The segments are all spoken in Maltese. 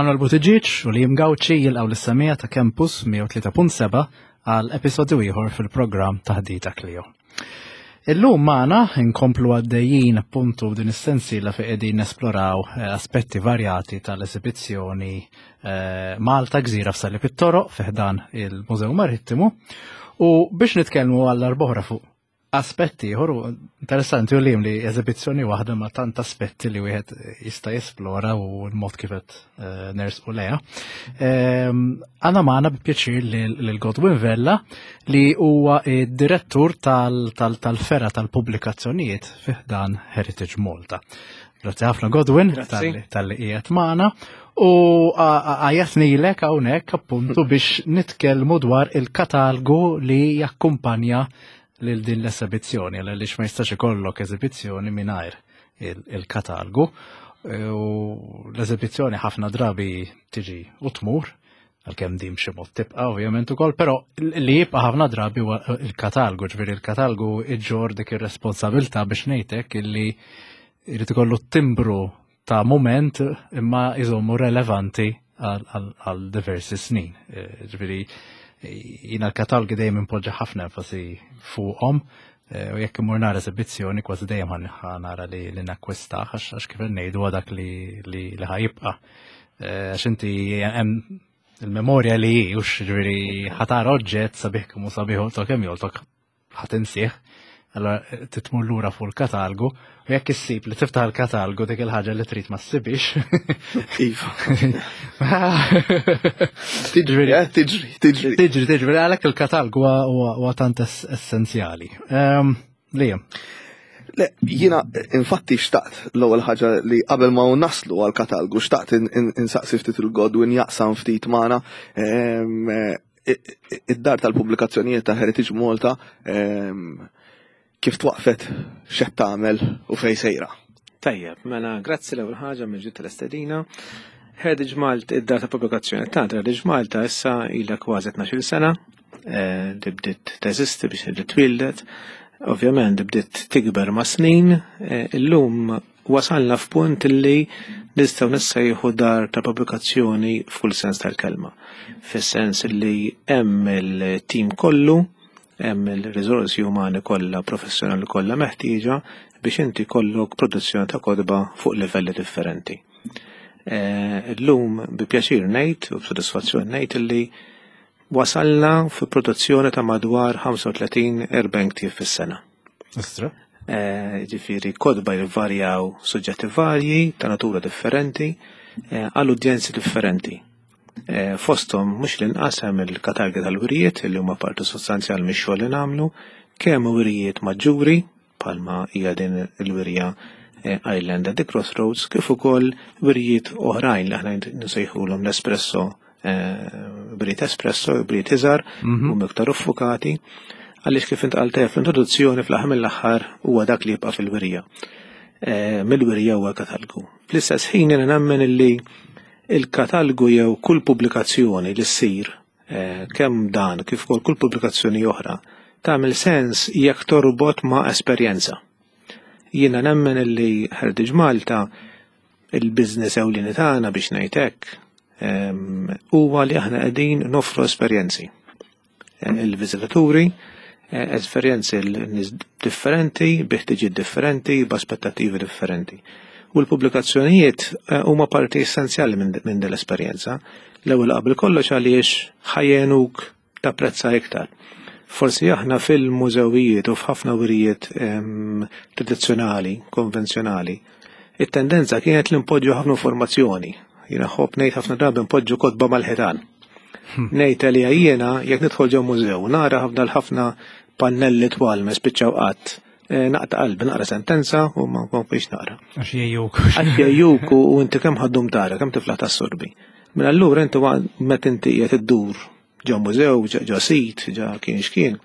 Manuel Buttigieg u Liam Gauci jilqgħu lis-semija ta' Campus 103.7 għal episodju ieħor fil-programm Taħdita Clio. Illum magħna nkomplu għaddejjin appuntu din is-sensiela fi qegħdin nesploraw eh, aspetti varjati tal-esibizzjoni eh, Malta Gżira f'Salib it-Toroq fi ħdan il-Mużew Marittimu u biex nitkellmu għall-arbohra fuq aspetti ieħor interessanti u li li eżibizzjoni waħda ma tant aspetti li wieħed jista' jesplora u l-mod kif qed eh, nersqu leha. Ehm, għandna magħna bi pjaċir lil Godwin Vella li huwa id-direttur tal-fera tal-pubblikazzjonijiet fih dan Heritage Malta. Grazzi ħafna Godwin tal-li qiegħed magħna u għajatnilek hawnhekk appuntu biex nitkellmu dwar il-katalgu li jakkumpanja lil din l-esebizzjoni, għaliex ma jistax ikollok eżibizzjoni mingħajr il-katalgu. U l-eżibizzjoni ħafna drabi tiġi u tmur, għalkemm din b'xi mod tibqa' ovvjament ukoll, però li jibqa' ħafna drabi huwa il-katalgu, ġifieri il-katalgu iġġor dik ir-responsabilità biex ngħidlek illi jrid ikollu timbru ta' mument imma jżommu relevanti għal diversi snin. Eh, ġifieri jiena l-katalgi dejjem impoġġa ħafna enfasi fuqhom eh, u jekk imur nara eżibizzjoni kważi dejjem nara li li nakkwista għax kif ngħidu dak li li ħajibqa'. Eh, għax inti hemm il-memorja li hi, ux ġifieri ħatar oġġett sabiħ kemm hu sabiħ u kemm joltok ħadd insih. Allora eh, titmur lura fuq il-katalgu u jekk issib li tiftaħ il-katalgu dik il-ħaġa li trid ma ssibix. Iva. Tiġri, eh, tiġri, tiġri. Tiġri, tiġri, għalhekk il-katalgu huwa tant essenzjali. Ehm, Liam. Le, jina infatti xtaqt l-ewwel ħaġa li qabel ma naslu għal katalgu xtaqt insaqsi ftit il-Godwin jaqsam ftit magħna ehm, id-dar tal-pubblikazzjonijiet ta' Heritage Malta ehm, kif twaqfet x'qed tagħmel u fejn sejra. Tajjeb, mela grazzi l-ewwel ħaġa minn ġid tal-estedina. Heritage Malta, id-dar ta' pubblikazzjoni ta' Heritage Malta issa ilha kważi 12 sena, eh, li bdiet teżisti biex li twildet. Ovvjament bdiet tikber ma' snin, eh, illum Wasalna f'punt li nistgħu nissejħu dar ta' pubblikazzjoni f'kull sens tal-kelma. Fis-sens li hemm il-tim kollu, hemm il-riżorsi umani kollha, professjonali kollha meħtieġa biex inti jkollok produzzjoni ta' kotba fuq livelli differenti. Eh, illum bi pjaċir ngħid u b'sodisfazzjon ngħid li wasalna fi produzzjoni ta' madwar 35-40 ktieb fis-sena. Istra. Eh, ġifieri kotba jvarjaw suġġetti varji ta' natura differenti eh, għal udjenzi differenti. Eh, fosthom mhux l-inqas hemm il-katalgi tal-wirijiet li huma parti sostanzjali mix-xogħol li nagħmlu, kemm wirijiet maġġuri bħalma hija din il-wirja Island at the Crossroads, kif ukoll wirijiet oħrajn li aħna nsejħulhom l-espresso Eh, brit espresso, brit iżgħar, mhm. u iktar uffukati, għaliex kif intqal tef l-introduzzjoni fl-aħħar mill-aħħar huwa dak li jibqa' fil-wirja. Eh, mill-wirja huwa katalgu. Fl-istess ħin jiena nemmen illi il-katalgu jew kull pubblikazzjoni li ssir eh, kemm dan kif ukoll kull pubblikazzjoni oħra tagħmel sens jekk torbot ma' esperjenza. Jiena nemmen illi Heritage Malta il-business ewlieni tagħna biex ngħid hekk ehm, huwa li aħna qegħdin noffru esperjenzi. Eh, il-viżitaturi, eh, esperjenzi l-nies differenti, bi ħtiġijiet differenti, b'aspettattivi differenti. U l-pubblikazzjonijiet eh, huma parti essenzjali minn din l-esperjenza. L-ewwel qabel kollox għaliex ħajjenuk tapprezza iktar. Forsi aħna fil-mużewijiet u f'ħafna wirijiet ehm, tradizzjonali, konvenzjonali, it-tendenza kienet li npoġġu ħafna informazzjoni. Jiena ħobb ngħid ħafna drabi npoġġu kotba mal-ħitan. Hmm. Ngħid li jiena jekk nidħol ġew mużew nara ħafna l-ħafna pannelli twal ma spiċċaw qatt. Eh, naqta qalbi naqra sentenza u ma nkomplix naqra. Għax jgħjuk. Għax jgħjuk u inti kemm ħaddum tara, kemm tiflaħ tas-sorbi. Mela allura inti meta inti qiegħed iddur ġo mużew, ġo sit, ġo kien x'kien,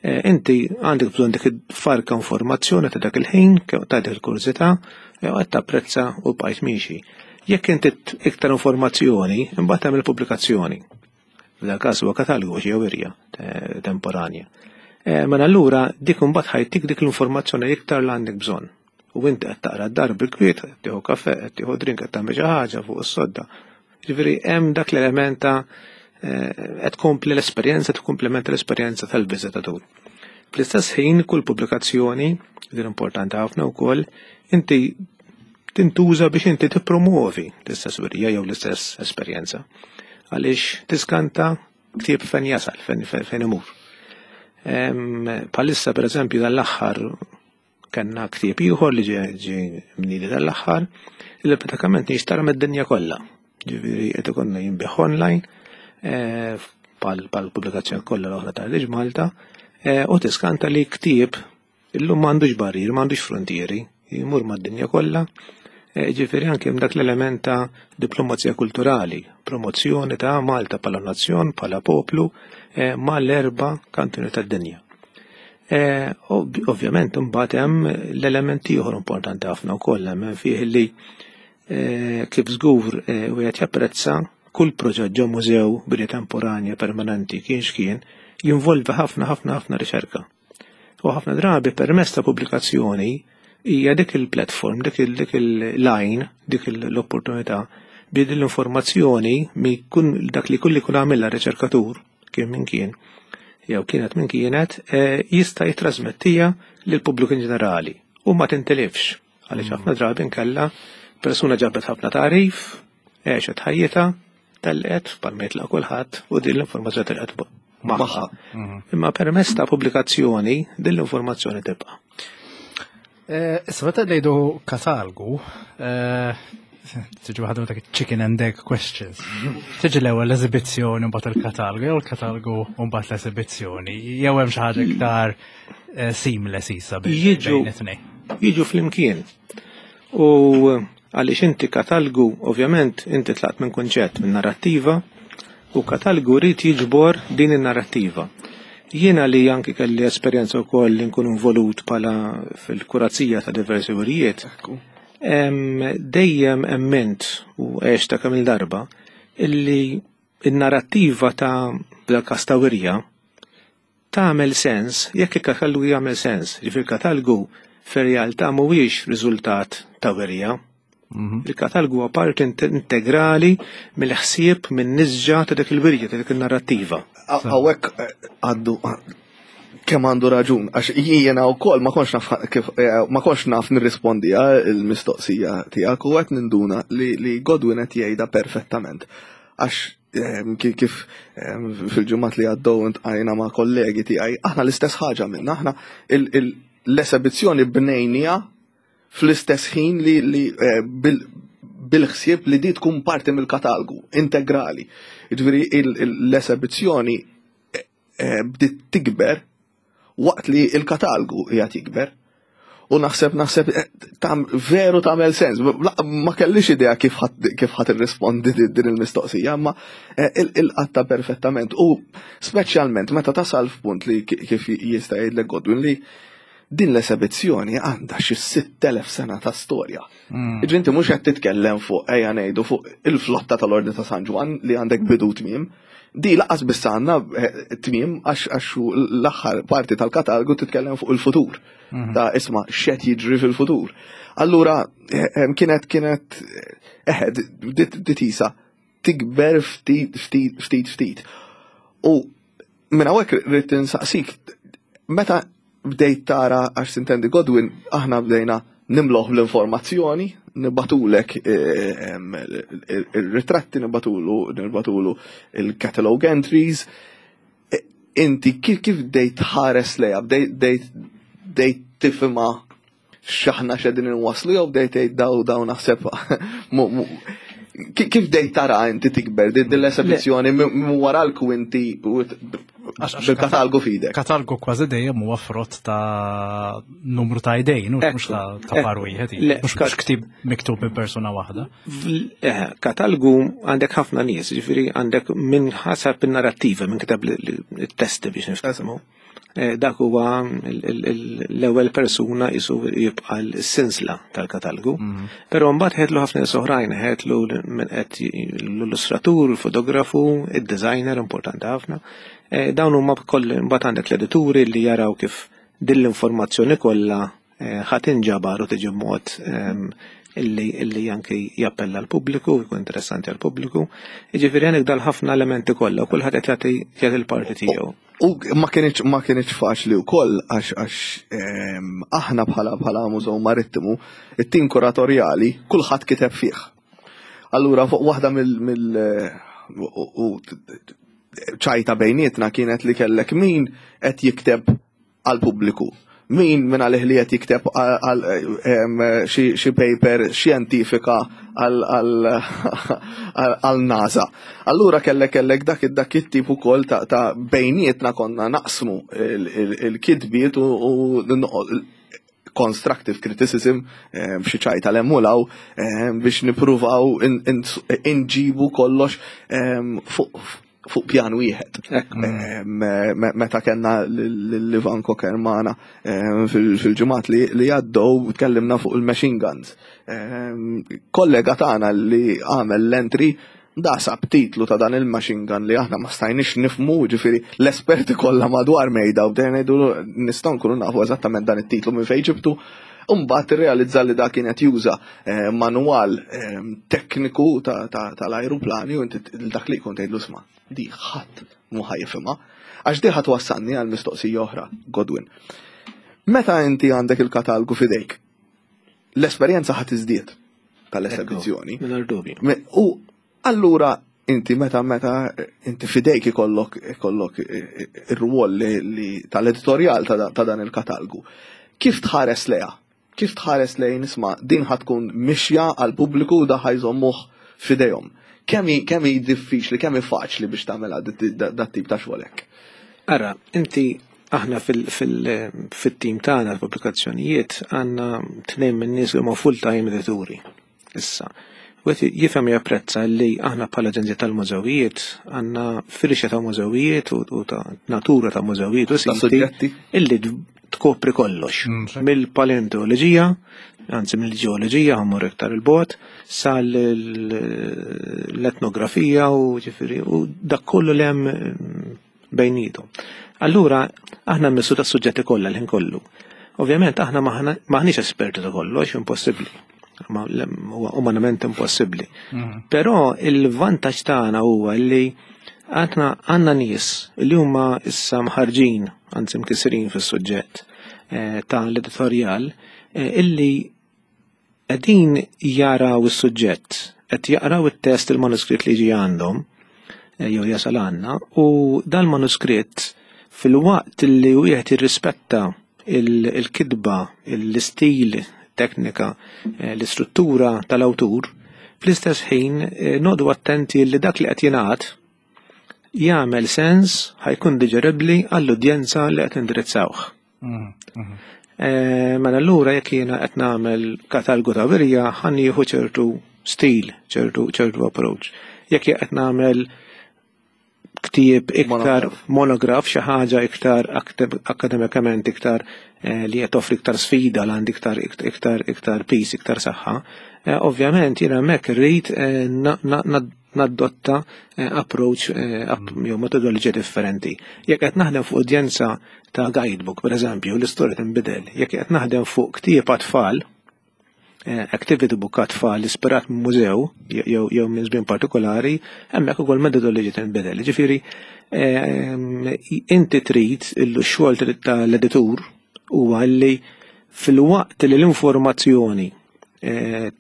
eh, inti għandek bżonn dik farka informazzjoni ta' dak il-ħin, ta' dik il-kurżità, eh, u qed tapprezza u bqajt miexi. Jekk inti iktar informazzjoni, imbagħad tagħmel pubblikazzjoni. F'dak każ huwa katalgu jew wirja eh, temporanja. Mela allura dik imbagħad ħajtik dik l-informazzjoni iktar li għandek bżonn. U inti qed taqra d-dar bil-kwiet, qed tieħu kafè, qed tieħu drink, qed tagħmel xi ħaġa fuq is-sodda. Ġifieri hemm dak l-element ta' qed tkompli l-esperjenza, tkomplementa l-esperjenza tal-viżitatur. Fl-istess ħin kull pubblikazzjoni, din importanti ħafna wkoll, inti tintuża biex inti tippromuovi l-istess wirja jew l-istess esperjenza. Għaliex tiskanta ktieb fejn jasal, fejn imur. Palissa per eżempju dal-aħħar kellna ktieb ieħor li ġie mniedi dal-aħħar li pratikament jinxtara mid-dinja kollha. Ġifieri qed ikollna jinbigħ online bħal pubblikazzjoni kollha l-oħra ta' Heritage Malta u tiskanta li ktieb illum m'għandux barrier, m'għandux frontieri, jmur mad-dinja kollha. Ġifieri anke hemm dak l-element ta' diplomazija kulturali, promozzjoni ta' Malta bħala nazzjon, bħala poplu, mal-erba' kantuni tad-dinja. Ovvjament imbagħad hemm l-element ieħor importanti ħafna wkoll hemm fih li kif żgur wieħed japprezza kull proġett ġo mużew bini temporanja permanenti kien x'kien jinvolvi ħafna ħafna ħafna riċerka. U ħafna drabi permezz ta' pubblikazzjoni hija dik il-platform, dik il-line, dik l-opportunità bi din l-informazzjoni mi kun dak li kull ikun għamilha riċerkatur kien min kien jew kienet min kienet jista' jitrasmettija lil pubbliku in ġenerali u ma tintilifx għaliex ħafna drabi nkella persuna ġabet ħafna tagħrif, għexet ħajjitha, telqet bħalma jitlaq kulħadd u din l-informazzjoni telqet magħha. Imma permezz ta' pubblikazzjoni din l-informazzjoni tibqa'. Issa meta ngħidu katalgu, tiġi waħda dak chicken and egg questions. Tiġi l-ewwel l-eżibizzjoni u mbagħad il-katalgu, jew il-katalgu u mbagħad l-eżibizzjoni, jew hemm xi ħaġa iktar seamless isa bejn it-tnejn. Jiġu flimkien. U għaliex inti katalgu, ovvjament, inti tlaqt minn kunċett, minn narrattiva, u katalgu rrid jiġbor din in-narrattiva. Jiena li anki kelli esperjenza wkoll li nkun involut bħala fil-kurazija ta' diversi wirijiet, dejjem emmint u għex ta' kemm il-darba illi in-narrattiva ta' dal-każ ta' wirja tagħmel sens jekk il-katalgu jagħmel sens. Ġifieri il-katalgu fir-realtà mhuwiex riżultat ta' wirja. Il-katalgu huwa parti integrali mill-ħsieb minn nisġa ta' dik il-wirja, ta' dik il-narrattiva. Hawnhekk għandu kemm għandu raġun, għax jiena wkoll ma kontx naf kif ma kontx naf nirrispondi il-mistoqsija tiegħek u qed ninduna li Godwin qed jgħidha perfettament. Għax kif fil-ġimgħat li għaddew intqajna ma' kollegi tiegħi, aħna l-istess ħaġa minna, aħna l-esebizzjoni bnejnija fl-istess ħin li bil-ħsieb li di tkun parti mill-katalgu integrali. Ġifieri l-esebizzjoni bdiet tikber waqt li il-katalgu qiegħed jikber. U naħseb veru tagħmel sens. Ma kellix idea kif ħadd irrispondi din il-mistoqsija, imma il-qatta perfettament. U speċjalment meta tasal f'punt li kif jista' jgħidlek Godwin li din l-esebizzjoni għandha xi 6000 sena ta' storja. Ġifieri inti mhux qed titkellem fuq ejja ngħidu fuq il-flotta tal-Ordni ta' San Ġwann li għandek bidu tmiem. Di laqas biss għandna tmiem għax l-aħħar parti tal-katalgu titkellem fuq il-futur. Ta' isma' x'qed jiġri fil-futur. Allura kienet ditisa tikber ftit ftit ftit ftit. U minn hawnhekk rrid insaqsik, meta bdejt tara għax sintendi Godwin, aħna bdejna nimloħ l-informazzjoni, nibatulek il-ritratti, nibatulu il-catalog entries. Inti kif bdejt tħares lejha, bdejt tifhimha x'aħna x'qegħdin inwasslu jew bdejt tgħid daw naħseb kif bdejt tara inti tikber din l-esebizzjoni minn wara l-kwinti bil-katalgu f'idek? Katalgu kważi dejjem huwa frott ta' numru ta' idejn, mhux ta' par wieħed, mhux ktieb miktub minn persuna waħda. Katalgu għandek ħafna nies, ġifieri għandek minn ħasab in-narrattiva, minn kitab it-testi biex niftehmu. Dak huwa l-ewwel persuna isu jibqa' l-sinsla tal-katalgu. Però mbagħad ħedlu ħafna nies oħrajn, ħedlu minn qed l-illustratur, il-fotografu, id-designer importanti ħafna. Dawn huma koll mbagħad għandek l-edituri li jaraw kif din l-informazzjoni kollha ħa tinġabar u tiġi b'mod illi illi anki jappella l-pubbliku, jkun interessanti għall-pubbliku. Jiġifieri għandek dal-ħafna elementi kollha u kulħadd qed jagħti jagħti l-parti tiegħu. U ma kienx ma kienx faċli wkoll għax għax aħna bħala bħala Mużew Marittimu, it-tim kuratorjali kulħadd kiteb fih. Allura fuq waħda mill mill u ċajta bejnietna kienet li kellek min qed jikteb għall-pubbliku. Min minn għalih li qed jikteb għal xi paper xjentifika għal NASA. Allura kellek kellek dak dak it-tip ukoll ta' bejnietna konna naqsmu il-kitbiet u constructive criticism xi ċajta l-emmulaw biex nippruvaw inġibu kollox fuq fuq pjan wieħed. Meta kellna l-Ivan Cocker magħna fil-ġimgħat li għaddew tkellimna fuq il-machine guns. Kollega tagħna li għamel l-entry da sab titlu ta' dan il-machine gun li aħna ma stajniex nifmu, ġifieri l-esperti kollha madwar mejda u bdejna ngħidu nistgħu nkunu nafu eżattament dan it-titlu minn fejn ġibtu. Imbagħad irrealizza li da kien qed juża manwal tekniku tal-ajruplani u inti dak li jkun tgħidlu sma' di ħadd mhu ħa jifhimha. Għax di ħa twassalni għal mistoqsija oħra, Godwin. Meta inti għandek il-katalgu f'idejk, l-esperjenza ħa tiżdied tal-esebizzjoni. Mingħajr dubju. U allura inti meta meta inti fidejk ikollok ikollok ir-rwol li tal-editorjal ta' dan il-katalgu. Kif tħares leha? Kif tħares lejn isma' din ħa tkun mixja għal pubbliku u da ħa jżommuh f'idejhom. Kemm hi kemm hi diffiċli, kemm hi faċli biex tagħmilha dat tip ta' xogħol hekk? Ara, inti aħna fit-tim tagħna l-pubblikazzjonijiet għandna tnejn minn nies li huma full-time edituri. Issa, wieħed jifhem japprezza li aħna bħala Aġenzija tal-Mużewijiet għandna firxa ta' mużewijiet u ta' natura ta' mużewijiet u siti illi tkopri kollox. Mill-paleontoloġija, anzi mill-ġeoloġija, ħammur iktar il-bot, sal l-etnografija u ġifieri u dak kollu li hemm bejnietom. Allura, aħna mmissu ta' suġġetti kollha l-ħin kollu. Ovvjament, aħna maħniex esperti ta' kollox, impossibbli. Huwa umanament impossibbli. Però il-vantaġġ tagħna huwa li għandna għandna nies li huma issa mħarġin, anzi mkisrin fis-suġġett ta' l-editorjal, illi qegħdin jaraw is-suġġett, qed jaqraw it-test il-manuskritt li ġi għandhom jew jasal għandna, u dal-manuskritt fil-waqt li wieħed jirrispetta il-kitba, l-istil, teknika, l-istruttura tal-awtur, fl-istess ħin noqogħdu attenti li dak li qed jingħad jagħmel sens ħa jkun diġeribbli għall-udjenza li qed indirizzawh. Mela allura jekk jiena qed nagħmel katalgu ta' wirja ħa nieħu ċertu stil, ċertu approach. Jekk qed nagħmel ktieb iktar monograf, xi ħaġa iktar akademikament iktar li qed toffri iktar sfida l għandi iktar iktar iktar peace, iktar saħħa. Ovvjament jiena hemmhekk irrid nadotta approach jew metodoloġija differenti. Jekk qed naħdem fuq udjenza ta' guidebook, per eżempju, l-istorja tinbidel. Jekk qed naħdem fuq ktieb għat-tfal, activity book għat-tfal ispirat minn mużew jew minn żmien partikolari, hemmhekk ukoll metodoloġija tinbidel. Ġifieri inti trid il-xogħol tal-editur huwa li fil-waqt li l-informazzjoni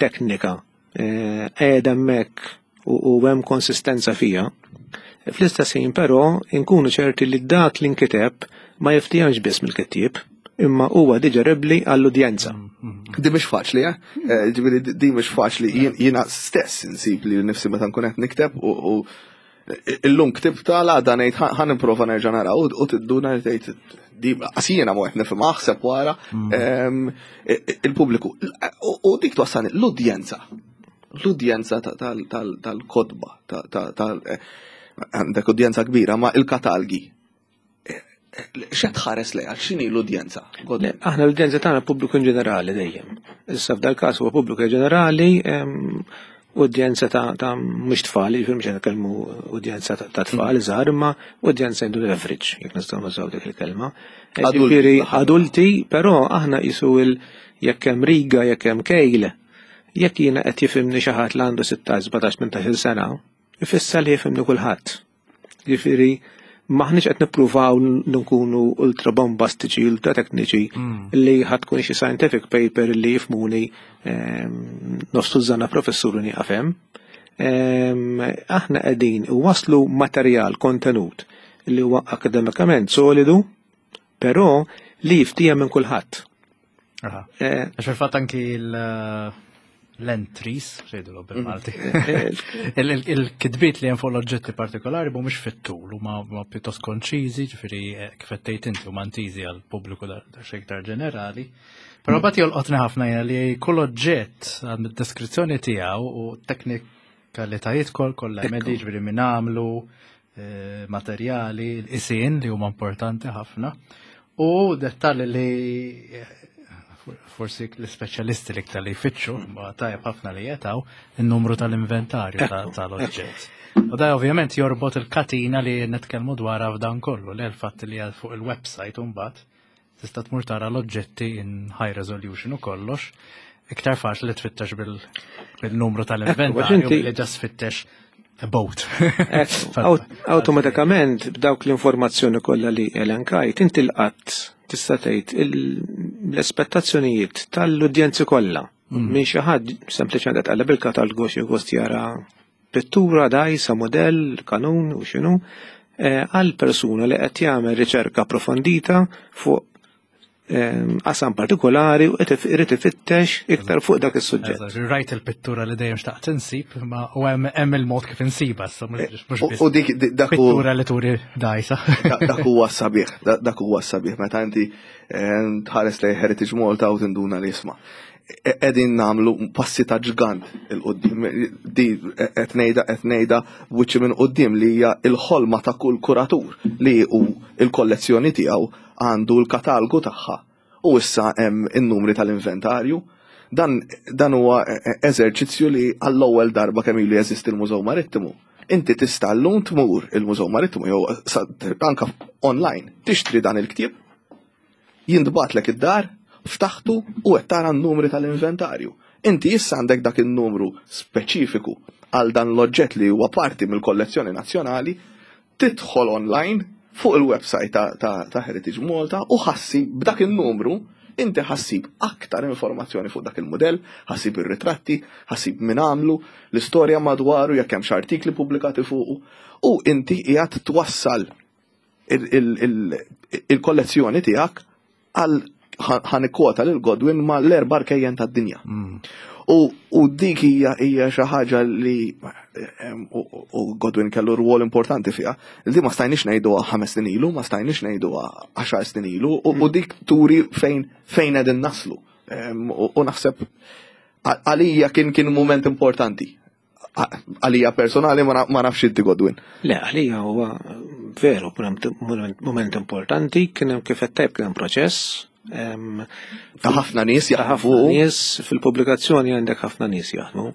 teknika qiegħda hemmhekk u hemm konsistenza fija, fl-istess ħin però nkunu ċerti li dak li nkiteb ma jiftihemx biss mill-kittieb, imma huwa diġeribbli għall-udjenza. Di mhix faċli, eh? Ġifieri di mhix faċli, jiena stess insib li nifsi meta nkun qed nikteb u illum ktib tal-għada ngħid ħa nipprova nerġa' nara u tidduna li tgħid di qasina ma qed nifhem aħseb wara il-pubbliku. U dik twassalni l-udjenza. L-udjenza tal-kotba, għandek udjenza kbira, ma il-katalgi. X'qed tħares lejha, x'inhi l-udjenza? Aħna l-udjenza tagħna pubbliku in ġenerali dejjem. Issa f'dal każ huwa pubbliku ġenerali, udjenza ta' mhux tfal, jiġifieri mhux qed nitkellmu udjenza ta' tfal żgħar, imma udjenza jgħidu average, jekk nistgħu nużaw dik il-kelma. Ġifieri adulti, però aħna qisu jekk hemm riga, jekk hemm kejl, Jekk jiena qed jifhimni xi ħadd li għandu 16, 17, 18 sena, ifisser li jifhimni kulħadd. Jiġifieri maħniex qed nippruvaw nkunu ultra bombastiċi, ultra tekniċi li ħadd tkun xi scientific paper li jifhmuni nofs tużżana professur u nieqaf hemm. Aħna qegħdin waslu materjal, kontenut li huwa akademikament solidu, però li jiftiehem minn kulħadd. Għax fil-fatt anki l-entries, xejdu bil-Malti, il-kitbiet li hemm fuq l-oġġetti partikolari mhumiex fit-tul, huma pjuttost konċiżi, ġifieri kif qed tgħid inti huma intiżi għal pubbliku xi iktar ġenerali. Però mbagħad jolqotni ħafna hija li kull oġġett għand id-deskrizzjoni tiegħu u teknikalitajiet kollha hemm ġifieri min għamlu, materjali, l-qisien li huma importanti ħafna u dettalji li forsi l-speċjalisti li iktar li jfittxu, ma tajjeb ħafna li jetaw, il-numru tal-inventarju tal-oġġett. U da ovvjament jorbot il-katina li nitkellmu dwarha f'dan kollu, li l-fatt li fuq il-website mbagħad tista' tmur tara l-oġġetti in high resolution u kollox, iktar faċli tfittex bil-numru tal-inventarju li just tfittex a boat. Awtomatikament b'dawk l-informazzjoni kollha li elenkajt, inti l-qatt tista' tgħid l-aspettazzjonijiet tal-udjenzi kollha. Minn xi ħadd sempliċement qed tqalleb il-katalgu xi gost jara pittura, dgħajsa, modell, kanun u x'inhu, għal persuna li qed jagħmel riċerka approfondita fuq qasam partikolari u qed irid ifittex iktar fuq dak is-suġġett. Rajt il-pittura li dejjem xtaqt insib, ma u hemm il-mod kif insiba, issa mhux U dik dak pittura li turi dgħajsa. Dak huwa sabiħ, dak huwa sabiħ meta inti tħares lejn Heritage Malta u tinduna li isma'. Qegħdin nagħmlu passi ta' ġgant il-qudiem. Di qed ngħidha qed ngħidha b'wiċċi minn quddiem li hija l-ħolma ta' kull kuratur li hu l-kollezzjoni tiegħu għandu l-katalgu tagħha u issa hemm in-numri tal-inventarju. Dan, dan huwa eżerċizzju li għall-ewwel darba kemm ilu jeżisti l-Mużew Marittimu. Inti tista' llum tmur il-Mużew Marittimu jew anka online tixtri dan il-ktieb, jintbagħatlek id-dar, ftaħtu u qed tara n-numri tal-inventarju. Inti issa għandek dak in-numru speċifiku għal dan l-oġġett li huwa parti mill-kollezzjoni nazzjonali, tidħol online fuq il-website ta', ta, ta Heritage Malta u ħa ssib b'dak il-numru inti ħa ssib aktar informazzjoni fuq dak il-modell, ħa ssib ir-ritratti, ħa ssib min għamlu, l-istorja madwaru jekk hemm artikli pubblikati fuqu u inti qiegħed twassal il-kollezzjoni tiegħek għal ħa nikkwota lil Godwin ma l-erba' rkejjen tad-dinja. U dik hija hija xi ħaġa li u Godwin kellu rwol importanti fiha. Li ma stajniex ngħiduha 5 snin ilu, ma stajniex ngħiduha 10 snin ilu, u dik turi fejn fejn qegħdin naslu. U naħseb għalija kien kien moment importanti. Għalija personali ma nafx inti Godwin. Le, għalija huwa veru moment importanti, kien hemm kif qed tajb kien hemm proċess. Ta' ħafna nies jaħdmu. Nies fil-pubblikazzjoni għandek ħafna nies jaħdmu.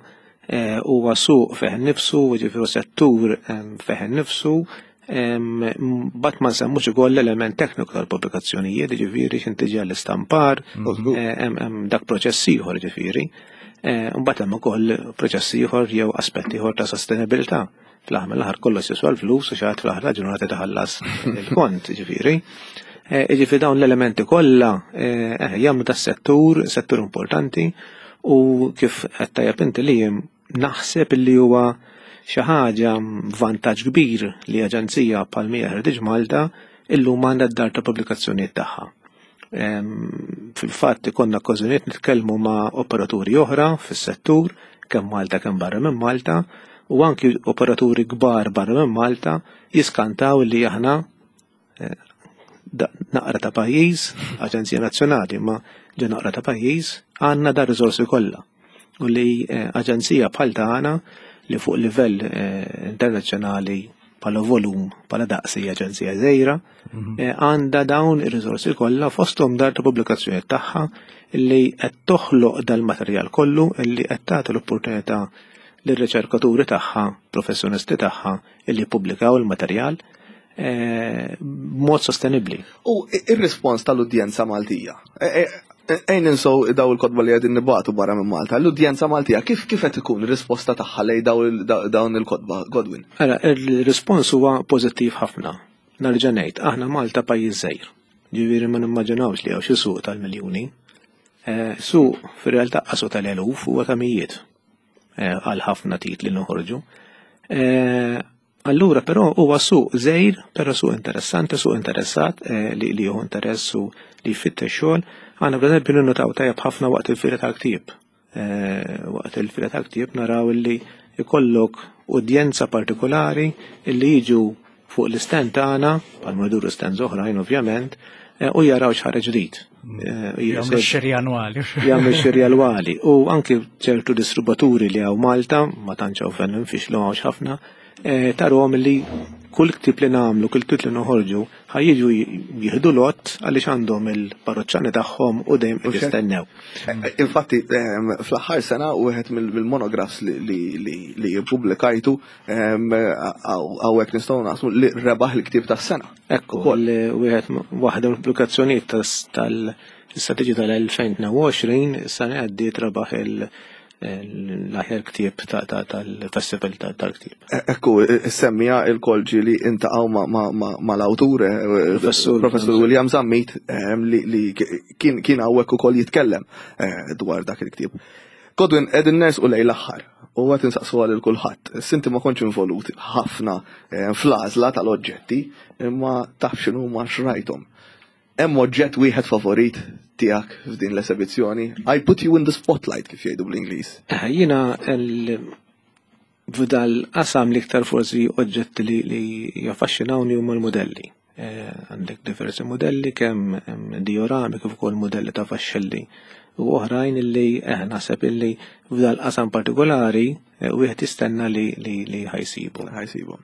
Huwa suq fih nifsu, ġifieri settur fih nifsu, bat ma nsemmux ukoll l-element tekniku tal-pubblikazzjonijiet, ġifieri x'intiġi għall-istampar, hemm dak proċess ieħor ġifieri. Mbagħad hemm ukoll proċess ieħor jew aspett ieħor ta' sostenibilità. Fl-aħħar mill-aħħar kollox jiswa l-flus u xi ħadd fl-aħħar ġurnata taħallas il-kont, ġifieri. Ġifieri dawn l-elementi kollha jagħmlu tas-settur, settur importanti u kif qed tajjeb inti li naħseb li huwa xi ħaġa vantaġġ kbir li aġenzija bħal Mija Heritage Malta illum għandha d-dar ta' pubblikazzjonijiet tagħha. Fil-fatt ikollna okkażjonijiet nitkellmu ma' operaturi oħra fis-settur, kemm Malta kemm barra minn Malta, u anki operaturi kbar barra minn Malta jiskantaw li aħna naqra ta' pajjiż, Aġenzija Nazzjonali, ma ġa naqra ta' pajjiż, għandna dar riżorsi kollha. U li aġenzija bħal tagħna li fuq livell internazzjonali bħala volum, bħala daqs hija aġenzija żgħira, għandha dawn ir-riżorsi kollha fosthom dar ta' pubblikazzjoni tagħha li qed toħloq dal-materjal kollu li qed tagħti l-opportunità lir-riċerkaturi tagħha, professjonisti tagħha li jippubblikaw il-materjal b'mod sostenibbli. U ir-rispons tal-udjenza Maltija. Ejn ninsow daw il-kotba li qegħdin nibatu barra minn Malta. L-udjenza Maltija kif kif qed ikun ir-risposta tagħha lej dawn il-kotba, Godwin? Ara, il-rispons huwa pożittiv ħafna. Nerġa' ngħid, aħna Malta pajjiż żgħir. Ġifieri ma nimmaġinawx li hawn xi suq tal-miljuni. Eh, suq fir-realtà qasu tal-eluf huwa ta' mijiet eh, għal ħafna titli noħorġu. Eh, Allura però huwa suq żgħir, però suq interessanti, suq interessat eh, li li jieħu interess u li jfittex xogħol. Għandna b'eżempju ninnutaw tajjeb ħafna waqt il-fira tal-ktieb. Eh, waqt il-fira tal-ktieb naraw li ikollok udjenza partikolari li jiġu fuq l-istand tagħna, bħal jduru stands oħrajn ovvjament, eh, u jaraw x'ħareġ ġdid. Jagħmlu xiri annwali. Jagħmlu xiri annwali. U anki ċertu distribuaturi li hawn Malta, ma tantx hawn fejn nfixlu hawnx ħafna, eh, tarhom li kull ktib li nagħmlu, kull ktib li noħorġu, ħajjiġu jieħdu lot għaliex għandhom il-parroċċani tagħhom u dejjem qed jistennew. Eh, infatti, ehm, fl-aħħar sena wieħed mill-monographs li ppubblikajtu ehm, hawnhekk nistgħu naqsmu li rebaħ il-ktieb tas-sena. Ekku, wieħed waħda mill-pubblikazzjonijiet tal-istrateġija tal-2022 is-sena għaddiet rebaħ il- l-aħjar ktieb tal-festival tal-ktieb. E, ekku, semmija il-kolġi li intaqgħu mal-awtur, e, Professur William Zammit, e, li kien hawnhekk ukoll jitkellem dwar dak il-ktieb. Godwin, qegħdin nersqu lejn l-aħħar u qed insaqsu għal kulħadd. Sinti ma kontx involut ħafna fl-għażla tal-oġġetti, imma taf x'inhuma xrajthom. Hemm oġġett wieħed favorit tiegħek f'din l-esebizzjoni? I put you in the spotlight kif jgħidu bl-Ingliż. Eh, jiena f'dal qasam l-iktar forsi oġġetti li, li jaffaxxinawni huma l-modelli. Eh, għandek diversi modelli kemm diorami kif ukoll modelli ta' faxxelli u oħrajn illi eh, naħseb illi f'dal qasam partikolari eh, wieħed jistenna li li ħajsibu. Ħajsibu.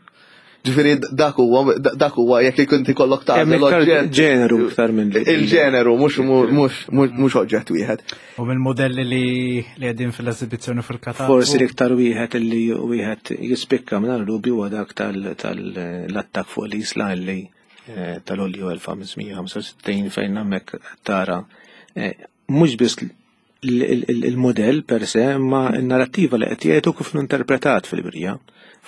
Ġifieri dak huwa dak huwa jekk ikun ikollok tagħżel oġġett. Ġeneru iktar minn il-ġeneru mhux mhux mhux oġġett wieħed. U mill-modelli li li qegħdin fil-eżibizzjoni fil-katalgu. Forsi l-iktar wieħed li wieħed jispikka minn dubju huwa dak tal-attakk fuq l-Isla li eh, tal-Olju 1565 fejn hemmhekk tara eh, mhux biss il-modell per se, imma n-narrattiva li qed jgħidu kif interpretat fil-birja.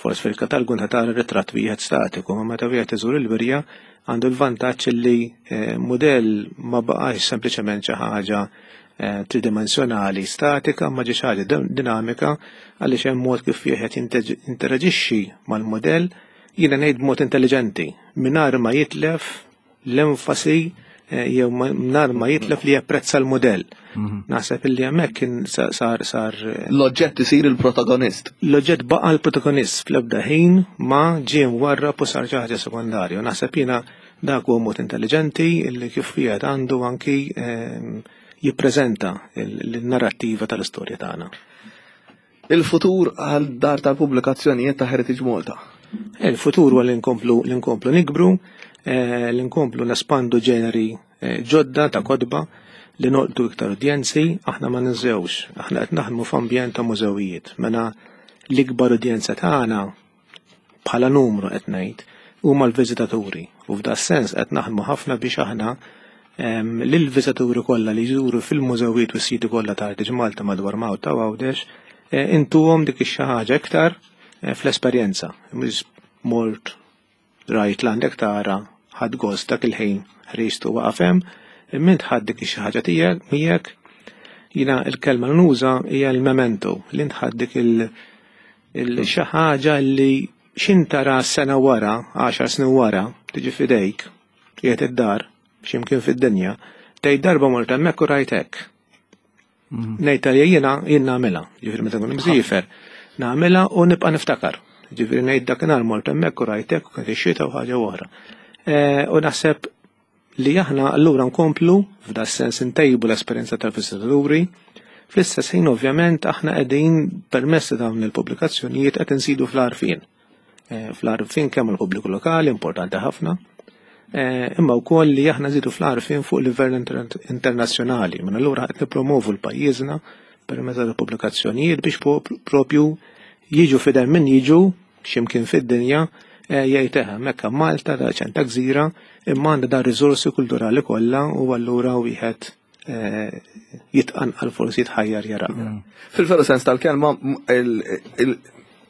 Forsi fil-katalgu inta tara ritratt wieħed statiku, ma meta wieħed iżur il-birja għandu l-vantaġġ li eh, modell ma baqax sempliċement xi ħaġa eh, tridimensjonali statika ma ġi ħaġa dinamika għaliex hemm mod kif wieħed jinteraġixxi mal-modell jiena ngħid b'mod intelligenti mingħajr ma jitlef l-enfasi eh, jew nar ma jitlef li japprezza l-modell. Mhm. Naħseb illi hemmhekk kien sar sar eh, L-oġġett isir il-protagonist. L-oġġett baqa' l-protagonist fl-ebda ħin ma ġie mwarrab u sar xi ħaġa sekondarju. Naħseb jiena dak huwa mod intelligenti illi kif wieħed għandu anki ehm, jippreżenta l-narrattiva tal-istorja tagħna. Il-futur għal dar tal-pubblikazzjonijiet ta' Heritage Malta. Il-futur huwa li nkomplu li nkomplu nikbru, eh, li nkomplu nespandu ġeneri eh, ġodda ta' kotba li noqtu iktar udjenzi, aħna ma ninżewx, aħna qed naħdmu f'ambjent ta' mużewijiet. Mela l-ikbar udjenza tagħna bħala numru qed ngħid huma l-viżitaturi u f'da sens qed naħdmu ħafna biex aħna lill-viżitaturi kollha li jżuru fil-mużewijiet u s-siti kollha ta' Heritage Malta madwar Malta u Għawdex eh, intuhom dik ix-xi ħaġa iktar eh, fl-esperjenza. Mhux mort rajt l-għandek tara ħadd gost dak il-ħin ħriġt u waqaf hemm, imma int ħadd dik ix-xi ħaġa tiegħek miegħek jiena l-kelma li nuża hija l-memento li int ħadd dik il- xi ħaġa li xin tara sena wara, 10 snin wara, tiġi fidejk, qiegħed id-dar, x'imkien fid-dinja, tgħid darba mort hemmhekk u rajt hekk. Mm. Ngħid għalija jiena jien nagħmilha, ġifieri meta nkun msiefer, nagħmilha u nibqa' niftakar. Ġifieri ngħid dakinhar mort hemmhekk u rajt hekk u kien ix-xita u ħaġa oħra. Eh, u naħseb li aħna allura nkomplu f'da sens intejbu l-esperjenza tal-viżitaturi. Fl-istess ħin ovvjament aħna qegħdin permezz ta' dawn il-pubblikazzjonijiet qed insidu fl-għarfien. Eh, fl-għarfien kemm il-pubbliku lokali importanti ħafna, eh, imma wkoll li aħna nżidu fl-għarfien fuq livell internazzjonali. Minn allura qed nippromovu l-pajjiżna permezz tal-pubblikazzjonijiet biex propju jiġu fidel min jiġu x'imkien fid-dinja eh, jgħid eħe hemmhekk Malta da ċenta gżira imma għandha da riżorsi kulturali kollha u allura wieħed eh, jitqanqal forsi jitħajjar jara. Fil-veru sens tal-kelma,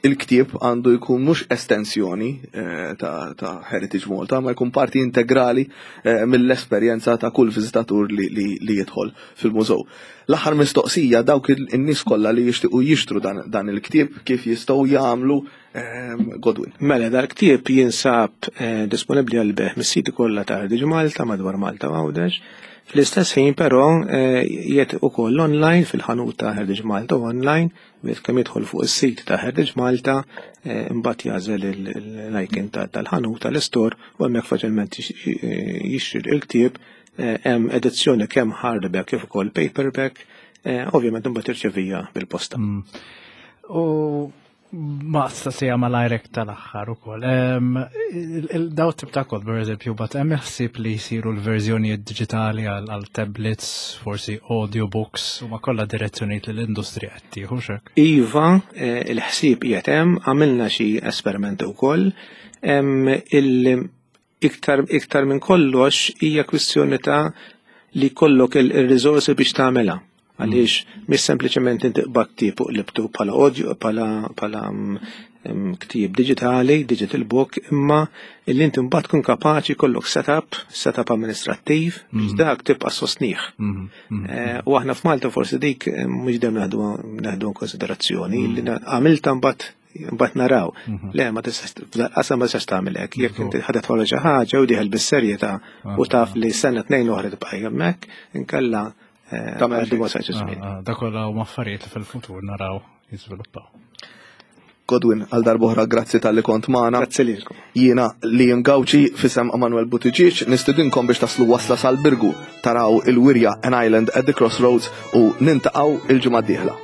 il-ktieb għandu jkun mhux estensjoni eh, ta' Heritage Malta, ma jkun parti integrali eh, mill-esperjenza ta' kull viżitatur li jidħol fil-mużew. L-aħħar mistoqsija dawk in-nies kollha li jixtiequ jixtru dan il-ktieb kif jistgħu jagħmlu ehm, Godwin. Mela dal-ktieb jinsab eh, disponibbli għal beħ mis-siti kollha ta' Heritage Malta madwar Malta u Għawdex. Fl-istess ħin però jiet ukoll online fil-ħanut ta' Heritage Malta online Wieħed kemm jidħol fuq is-sit ta' Heritage Malta, eh, imbagħad jagħżel l-icon tal-ħanut tal-istore u hemmhekk faċilment jixtri l-ktieb eh, hemm edizzjoni kemm hardback kif ukoll paperback, eh, ovvjament imbagħad irċevija bil-posta. Mm. U ma sija malajrek tal-aħħar ukoll. Daw tip ta' kod, per eżempju, bat hemm ħsieb li jsiru l-verżjonijiet diġitali għal tablets, forsi audiobooks, u ma kollha direzzjonijiet li l-industrija qed tieħu xek. Iva, eh, il-ħsieb qiegħed hemm, għamilna xi esperimenti wkoll. Iktar iktar minn kollox hija kwistjoni ta' li kollok il-riżorsi biex tagħmilha. Għaliex mhix sempliċement inti qbad ktieb u qlibtu bħala audio bħala bħala mm, mm, ktieb diġitali, digital book, imma illi inti mbagħad tkun kapaċi kollok setup, setup amministrattiv biex mm. dak tibqa' sostnih. Eh, u aħna f'Malta forsi dik eh, mhux dejjem naħdu konsiderazzjoni li għamilta mbagħad mbagħad naraw. Mhm. Le ma tistax qasam ma tistax tagħmel hekk. Jekk inti ħadet tħolla xi ħaġa u dieħel bis-serjetà u taf li sena tnejn oħra tibqa' hemmhekk, inkella eh, tagħmel ah, ah, Dak kollha huma affarijiet li fil-futur naraw jiżviluppaw. Godwin, għal darbohra grazzi tal-li kont maħna. Grazzi lilkom. Jiena li Gawċi fisem Emanuel Buttigieg nistidinkom biex taslu wasla sal-Birgu taraw il-wirja An Island at the Crossroads u nintaqgħu il-ġimgħa d-dieħla.